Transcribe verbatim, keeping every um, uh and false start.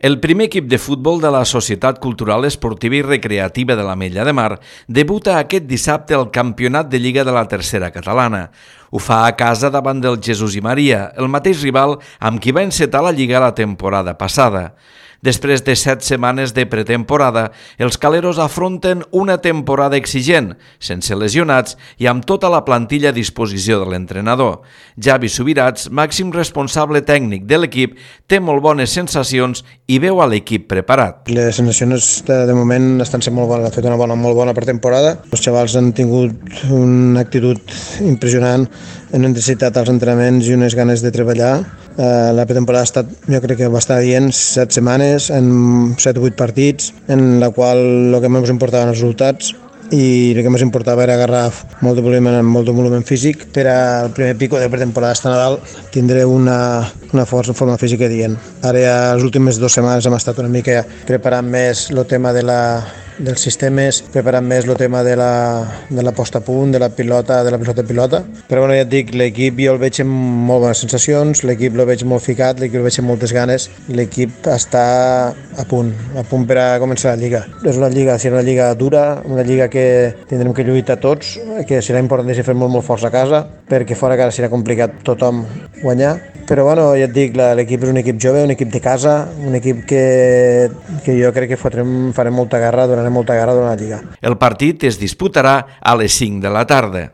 El primer equip de futbol de la Societat Cultural Esportiva i Recreativa de l'Ametlla de Mar debuta aquest dissabte al Campionat de Lliga de la Tercera Catalana. Ho fa a casa davant del Jesús i Maria, el mateix rival amb qui va encetar la Lliga la temporada passada. Després de set setmanes de pretemporada, els caleros afronten una temporada exigent, sense lesionats i amb tota la plantilla a disposició de l'entrenador. Javi Subirats, màxim responsable tècnic de l'equip, té molt bones sensacions i veu a l'equip preparat. Les sensacions de, de moment estan sent molt bones, han fet una bona, molt bona pretemporada. Els xavals han tingut una actitud impressionant, han necessitat els entrenaments i unes ganes de treballar. Uh, la pretemporada ha estat, jo crec que va estar dient, set setmanes, en set o vuit partits, en la qual el que més importava eren els resultats i el que més importava era agarrar molt de volum, molt de volum físic per al primer pico de pretemporada hasta Nadal tindré una, una força, forma física dient. Ara ja les últimes dues setmanes hem estat una mica preparant més el tema de la dels sistemes, preparant més el tema de la, de la posta a punt, de la pilota, de la pilota a pilota. Però bueno, ja et dic, l'equip jo el veig amb molt bones sensacions, l'equip el veig molt ficat, l'equip el veig amb moltes ganes, l'equip està a punt, a punt per a començar la Lliga. És una Lliga, serà una Lliga dura, una Lliga que tindrem que lluitar tots, que serà important fer molt, molt forts a casa, perquè fora a casa serà complicat tothom guanyar. Però bueno, ja et dic, l'equip és un equip jove, un equip de casa, un equip que, que jo crec que fotrem, farem molta guerra, donarem molta guerra durant la Lliga. El partit es disputarà a les cinc de la tarda.